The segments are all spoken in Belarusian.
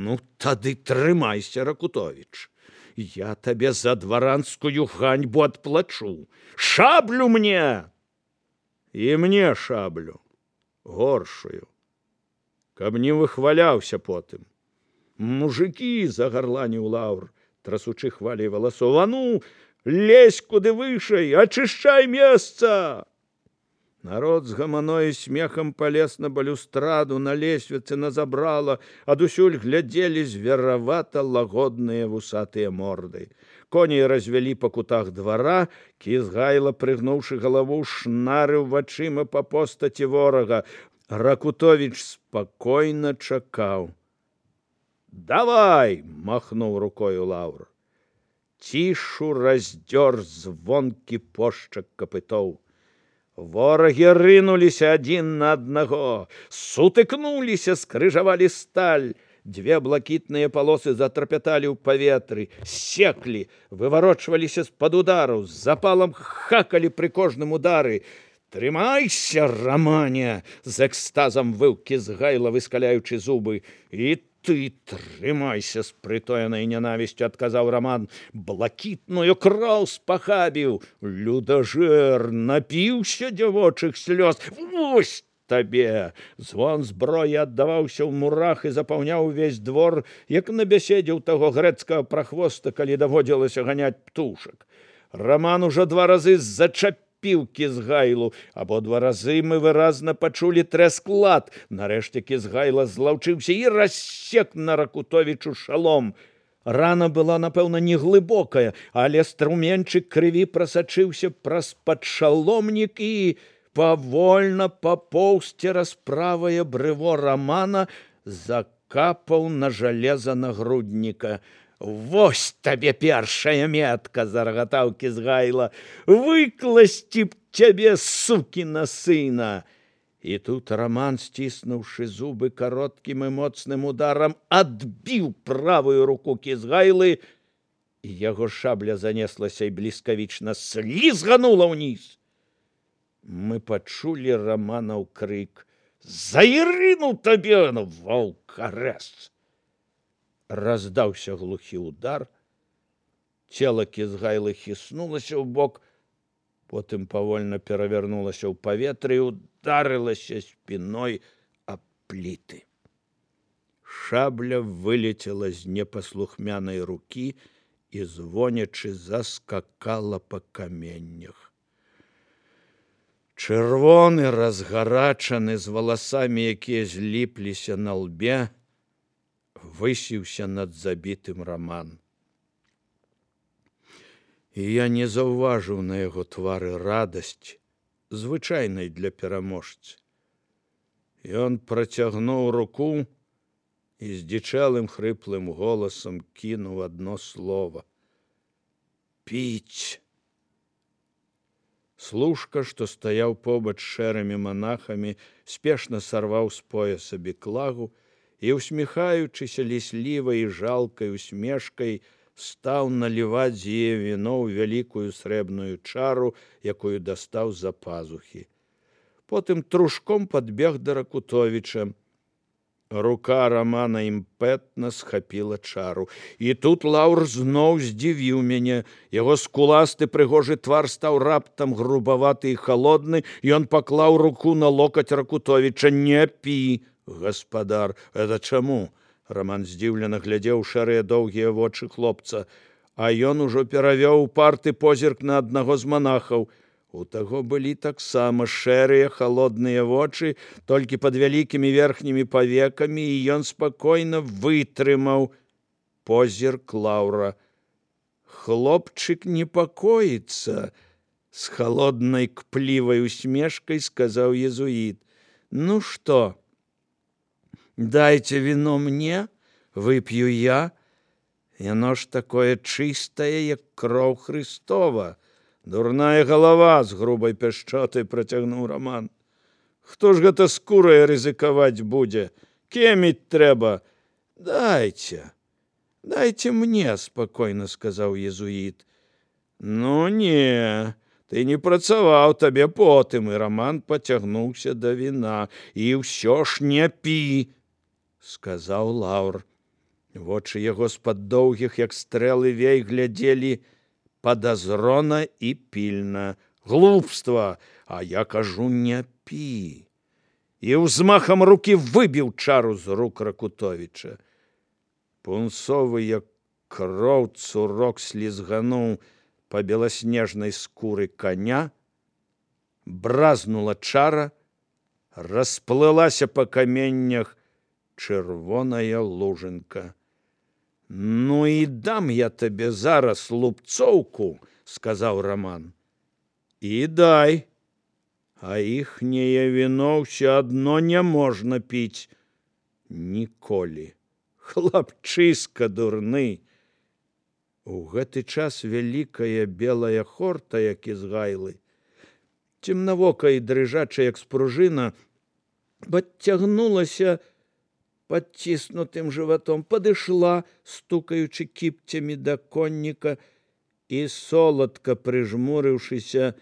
Ну, тады трымайся, Ракутовіч. Я табе за дваранскую ганьбу адплачу. Шаблю мне! І мне шаблю, горшую, каб не выхваляўся потым. Мужики, загарланіў Лаўр, трасучы хвалей валасоў, а ну, лезь куды вышэй, ачышчай месца! Народ з гаманой смехам палез на балюстраду, на лесвіцы, на забрала, адусюль глядзелі зверавата лагодныя вусатыя морды. Коней развялі па кутах двара, Кізгайла, прыгнуўшы галаву, шнарыў вачыма па постаці ворага. Ракутовіч спакойна чакаў. «Давай!» — махнуў рукою Лаўр. Цішу раздзёр звонкі пошчак капытоў. Ворагі рынуліся адзін на аднаго, сутыкнуліся, скрыжавалі сталь. Две блакітныя палосы затрапяталі ў паветры, секлі, выварочваліся з-пад удару, з запалам хакалі пры кожным удары. «Трымайся, Рамане!» — з экстазам выў Кізгайла, выскаляючы зубы. «І ты трымайся!» — з прытоенай нянавісцю адказаў Раман. «Блакітную кроў спахабіў! Людажэр, напіўся дзявочых слёз! Вось табе!» Звон зброі аддаваўся ў мурах і запаўняў увесь двор, як на бяседзе ў таго грэцкага прахвоста, калі даводзілася ганяць птушак. Раман ужо 2 разы зачапіў Кізгайлу. Абодва разы мы выразна пачулі трэск лад. Нарэшце Кізгайла злаўчыўся і рассек на Ракутовічу шалом. Рана была, напэўна, неглыбокая, але струменчык крыві прасачыўся праз падшаломнік і павольна папоўз цераз правае брыво Рамана, закапаў на жалеза нагрудніка. «Вось табе першая метка!» — зарагатаў Кізгайла. «Выкласці б цябе, сукіна сына!» І тут Раман, сціснуўшы зубы, кароткім і моцным ударам адбіў правую руку Кізгайлы, і яго шабля занеслася і бліскавічна слізганула ўніз. Мы пачулі Раманаў крык: «За Ірыну табе, ваўкарэз!» Раздаўся глухі удар, цела Кізгайлы хіснулася ў бок, потым павольна перавярнулася ў паветры і ударылася спіной аб пліты. Шабля вылецела з непаслухмянай рукі і звонячы заскакала па каменнях. Чырвоны, разгарачаны, з валасамі, якія зліпліся на лбе, высіўся над забітым Раман. І я не заўважыў на яго твары радасць, звычайнай для пераможцы. Ён працягнуў руку і здзічэлым хрыплым голасам кінуў адно слова: «Піць!» Служка, што стаяў побач з шэрымі манахамі, спешна сарваў з пояса беклагу і, усміхаючыся ліслівай і жалкай усмешкай, стаў наліваць з яе віно ў вялікую срэбную чару, якую дастаў з-за пазухі. Потым трушком падбег да Ракутовіча. Рука Рамана імпэтна схапіла чару. І тут Лаўр зноў здзівіў мяне. Яго скуласты прыгожы твар стаў раптам грубаваты і халодны, і ён паклаў руку на локаць Ракутовіча. «Не пі, гаспадар!» «Это чаму?» Раман здзіўлена глядзеў шэрыя доўгія вочы хлопца, а ён ужо перавёў упарты позірк на аднаго з манахаў. У таго былі таксама шэрыя халодныя вочы, толькі пад вялікімі верхнімі павекамі, і ён спакойна вытрымаў позірк Лаўра. «Хлопчык непакоіцца!» — з халоднай кплівай усмешкай сказаў езуіт. «Ну што? Дайце віно мне, вып'ю я. Яно ж такое чыстае, як кроў Хрыстова». «Дурная галава!» — з грубай пяшчотай працягнуў Раман. «Хто ж гэта скурай рызыкаваць будзе? Кеміць трэба!» «Дайце, дайце мне!» — спакойна сказаў езуіт. «Ну не, ты не працаваў, табе потым!» І Раман пацягнуўся да віна. «І ўсё ж не пі!» — сказаў Лаўр. Вочы яго з-пад доўгіх, як стрэлы вей, глядзелі падазрона і пільна. Глупства, а я кажу, не пі. І ўзмахам рукі выбіў чару з рук Ракутовіча. Пунцовы, як кроў, цурок слізгануў па беласнежнай скуры коня, бразнула чара, расплылася па каменнях чырвоная лужынка. Ну і дам я табе зараз лупцоўку, сказаў Раман. І дай. А іхняе віно ўсё адно не можна піць ніколі. Хлапчыска дурны. У гэты час вялікая белая хорта, як з гайлы, цемнавокая і дрыжачая, як спружына, падцягнулася падціснутым жыватом, падышла, стукаючы кіпцямі да конніка, і, соладка прыжмурыўшыся,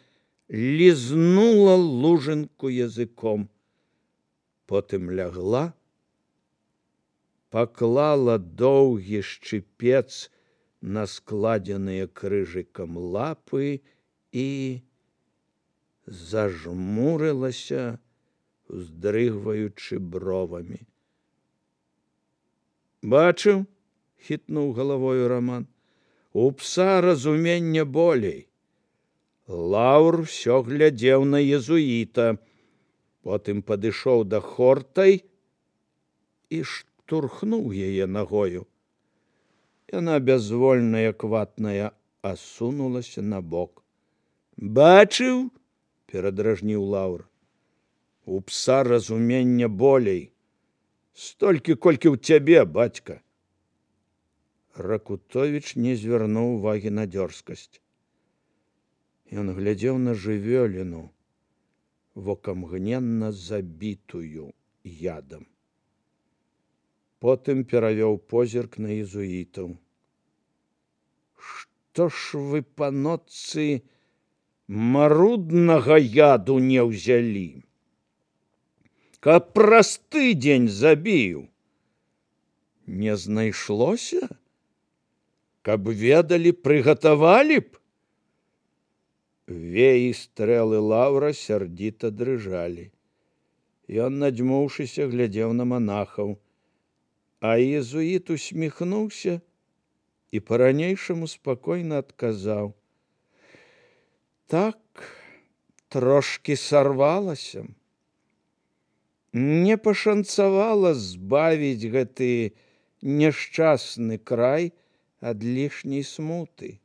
лізнула лужынку языком. Потым лягла, паклала доўгі шчыпец на складзеныя крыжыкам лапы і зажмурылася, уздрыгваючы бровамі. Бачыў, хітнуў галавою Раман, у пса разумення болей. Лаўр усё глядзеў на езуіта, потым падышоў да хортай і штурхнуў яе нагою. Яна бязвольная, кватная, асунулася набок. Бачыў, перадражніў Лаўр, у пса разумення болей. Столькі, колькі ў цябе, бацька. Ракутовіч не звярнуў увагі на дзёрзкасць. Ён глядзеў на жывёліну, вокамгненна забітую ядам. Потым перавёў позірк на езуітаў. Што ж вы, панотцы, маруднага яду не ўзялі? Каб праз тыдзень забіў. Не знайшлося? Каб ведалі, прыгатавалі б? Веі стрэлы Лаўра сярдзіта дрыжалі. Ён, надзьмуўшыся, глядзеў на манахаў, а езуіт усміхнуўся і па-ранейшаму спакойна адказаў. Так, трошкі сарвалася. Не пашанцавала збавіць гэты няшчасны край ад лішняй смуты.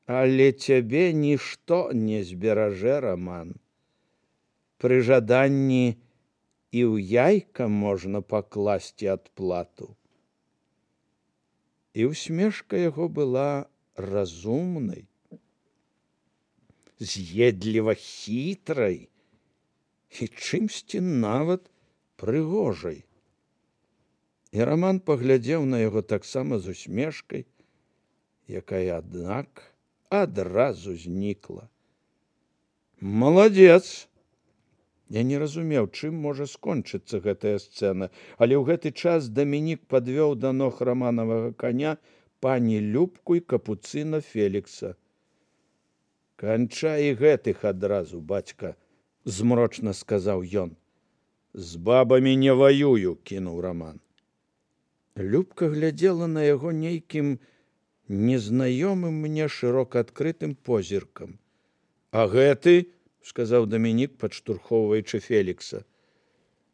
Але цябе нішто не зберажэ, Раман. Пры жаданні і ў яйка можна пакласці адплату. І усмешка яго была разумнай, з'едліва хітрай і чымсьці нават прыгожай. І Раман паглядзеў на яго таксама з усмешкай, якая, аднак, адразу знікла. Маладзец! Я не разумеў, чым можа скончыцца гэтая сцэна, але ў гэты час Дамінік падвёў да ног раманавага коня пані Любку і капуцына Фелікса. Канчай гэтых адразу, бацька, змрочна сказаў ён. З бабамі не ваюю, кінуў Раман. Любка глядзела на яго нейкім незнаёмым мне шырока адкрытым позіркам. А гэты, сказаў Дамінік, падштурхоўваючы Фелікса.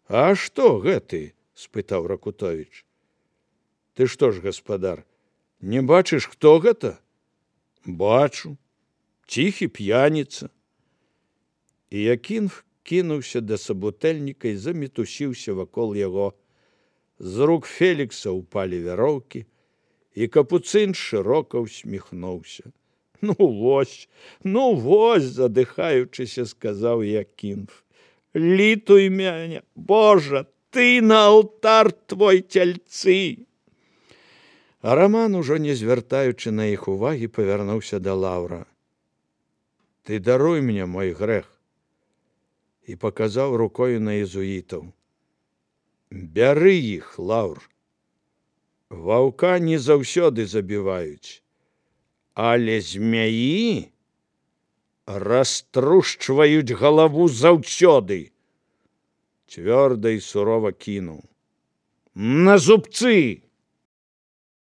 А што гэты? Спытаў Ракутовіч. Ты што ж, гаспадар, не бачыш, хто гэта? Бачу. Ціхі п'яніца. І Якінф кінуўся да сабутэльніка і замітусіўся вакол яго. З рук Фелікса ўпалі вяроўкі, і капуцын шырока ўсміхнуўся. Ну вось, задыхаючыся, сказаў Якінф. Літуй мяне, Божа, ты на алтар твой цяльцы. А Раман, ужо не звяртаючы на іх увагі, павярнуўся да Лаўра. Ты даруй мне мой грэх. І паказаў рукою на езуітаў. Бяры іх, Лаўр. Ваўка не заўсёды забіваюць, але змяі раструшчваюць галаву заўсёды. Цвёрда і сурова кінуў: на зубцы!